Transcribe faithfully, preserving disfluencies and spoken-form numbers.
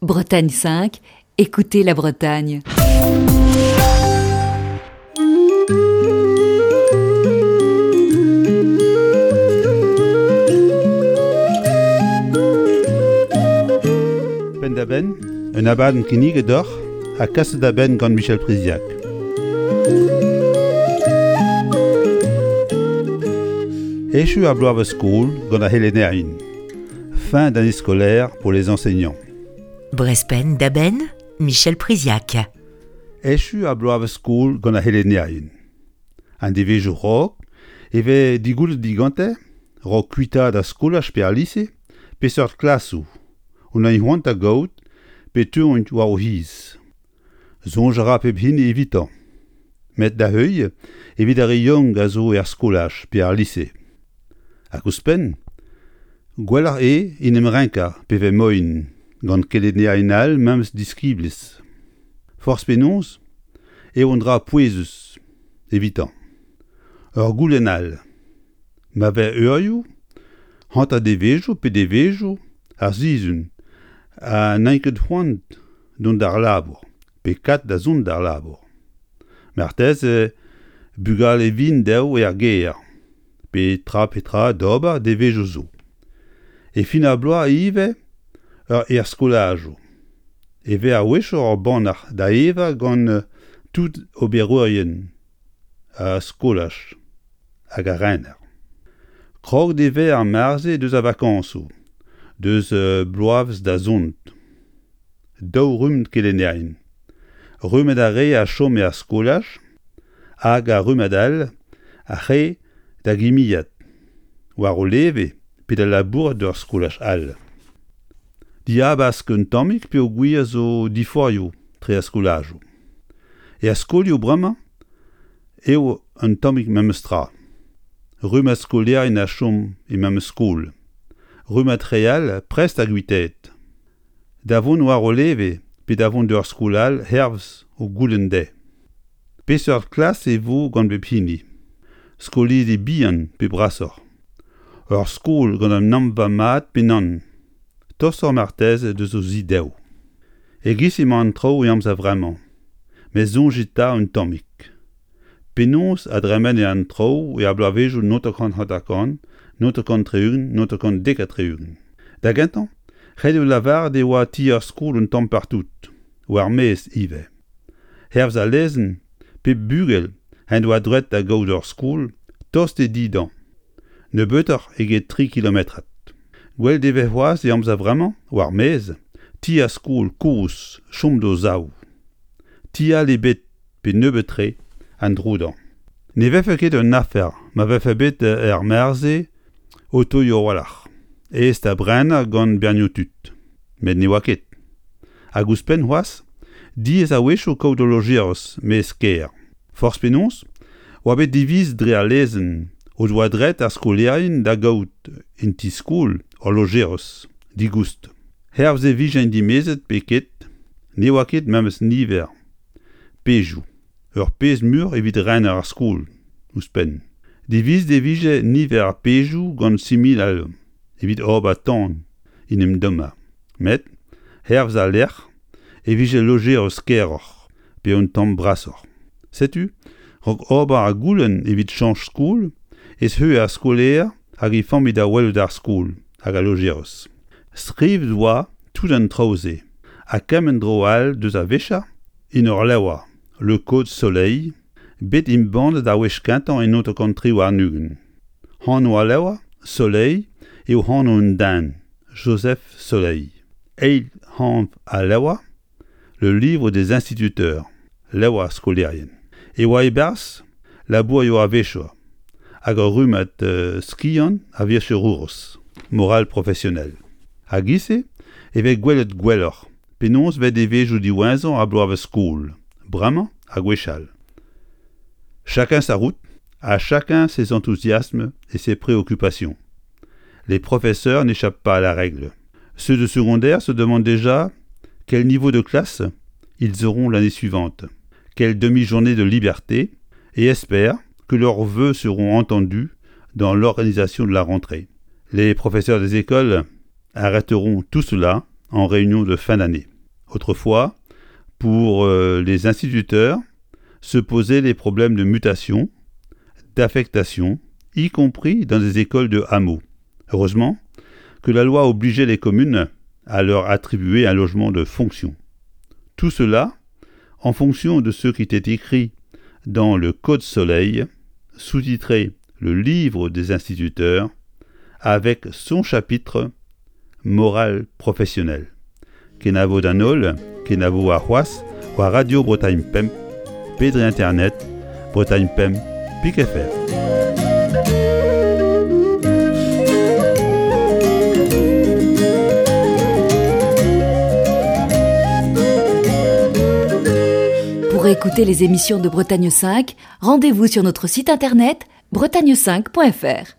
Bretagne cinq, écoutez la Bretagne. Penn-da-benn, un abadenn kinniget deoc'h ha kaset da benn gant Michel Priziac. Echu ar bloavezh skol gant ar c'helennerien. Fin d'année scolaire pour les enseignants. Brezh Penn-da-Benn, Michel Priziac. Echu ar bloavezh skol gant ar c'helennerien. An devezhioù 'raok e vez digoullet digante, 'raok kuitaat ar skolaj pe ar lise, peseurt klasoù o dint c'hoant da gaout pe teuont war o c'hiz. Soñj a ra pep hini evitañ. Met da heuilh evit ar re yaouank a zo er skolaj pe ar lise. Hag ouzhpenn, gwelloc'h eo en em renkañ pe vez moaien gant kelennerien all memes diskiblezh. Forzh penaos eo un dra pouezus evitañ. Ur goulenn all. Ma vez eurioù, hanter devezhioù pe devezhioù ar sizhun ha n'int ket c'hoant dont d'ar labour pe kat da zont d'ar labour. Marteze bugale vihan dezho er gêr pe tra pe tra d'ober devezhioù zo. E fin ar bloaz ivez ur er skolajoù. E vez a-wechoù ur bannac'h da evañ gant tout oberourien ar skolaj hag ar rener. Kroget e vez ar mare-se deus ar vakañsoù, deus bloavezh da zont. Daou rumm kelennerien. Rummet ar re a chom er skolaj hag ar rummad all ac'h eo da gimiad, war o leve pe da labourat d'ur skolaj all. Dihabask un tammig peogwir zo diforc'hioù tre ar skolajoù. Er skolioù bremañ eo un tammig memes tra. Rummad skolaerien a chom e memes skol. Rummad re all prest da guitaat. Da vont war o leve pe da vont d'ur skol all hervez o goulenn dezhe. Peseurt klas e vo gant pep hini? Skolidi bihan pe brasoc'h? Ur skol gant un amva mat pe nann? Tostoc'h marteze deus o zi dezho. E-giz emañ an traoù e amzer vremañ, met soñjit 'ta un tammig. Penaos a dremene an traoù er bloavezhioù naontek hanter-kant, naontek tri-ugent, naontek dek ha tri-ugent. Da gentañ, ret eo lavaret e oa ti ar skol un tamm partout, war maez ivez. Hervez al lezenn, pep bugel en doa droed da gaout ur skol tost e di dezhañ, nebeutoc'h eget tri kilometrad. Gwelet e vez c'hoazh e amzer vremañ, war maez, ti ar skol kozh chom d'o sav. Ti all ebet pe nebeut-tre an dro dezhañ. Ne vefe ket un afer ma vefe bet er mare-se otoioù a-walc'h, aes da brenañ gant bernioù tud. Met ne oa ket. Hag ouzhpenn c'hoazh, diaes a-wechoù kaout ul lojeris maez kêr. Forzh penaos, oa bet divizet dre al lezenn o doa droed ar skolaerien da gaout en ti-skol ul lojeris, digoust. Hervez e vijent dimezet pe ket, ne oa ket memes niver pezhioù. Ur pezh muioc'h evit rener ar skol, ouzhpenn. Divizet e vije niver ar pezhioù gant siminal evit ober tan en em dommañ. Met, hervez al lec'h, e vije lojeris keroc'h pe un tamm brasoc'h. Setu, 'raok ober ar goulenn evit chañch skol, ez eo ar skolaer hag e familh da welout ar skol hag al lojeris. Skrivet oa tout an traoù-se, ha kement dro all deus a wechañ en ur levr, Le Code Soleil, bet embannet ar wech kentañ en naontek tri warn-ugent. Anv al levr, Soleil, eo anv un den, Joseph Soleil. Eil anv al levr, Le livre des instituteurs, levr ar skolaerien. E oa e-barzh labourioù a-wechoù hag ur rummad skiant a vicherourez, morale professionnelle. Hag e-se e vez gwelet gwelloc'h penaos vez devezhioù diwezhañ ar bloavezh skol, bremañ ha gwechall. Chacun sa route, à chacun ses enthousiasmes et ses préoccupations. Les professeurs n'échappent pas à la règle. Ceux de secondaire se demandent déjà quel niveau de classe ils auront l'année suivante, quelle demi-journée de liberté, et espèrent que leurs vœux seront entendus dans l'organisation de la rentrée. Les professeurs des écoles arrêteront tout cela en réunion de fin d'année. Autrefois, pour euh, les instituteurs, se posaient les problèmes de mutation, d'affectation, y compris dans des écoles de hameaux. Heureusement que la loi obligeait les communes à leur attribuer un logement de fonction. Tout cela en fonction de ce qui était écrit dans le Code Soleil, sous-titré Le livre des instituteurs, avec son chapitre Morale professionnelle. Kenavo d'an holl, kenavo warc'hoazh, war Radio Bretagne Pemp, pe dre internet, Bretagne Pemp, pik F R. Pour écouter les émissions de Bretagne cinq, rendez-vous sur notre site internet bretagne cinq point F R.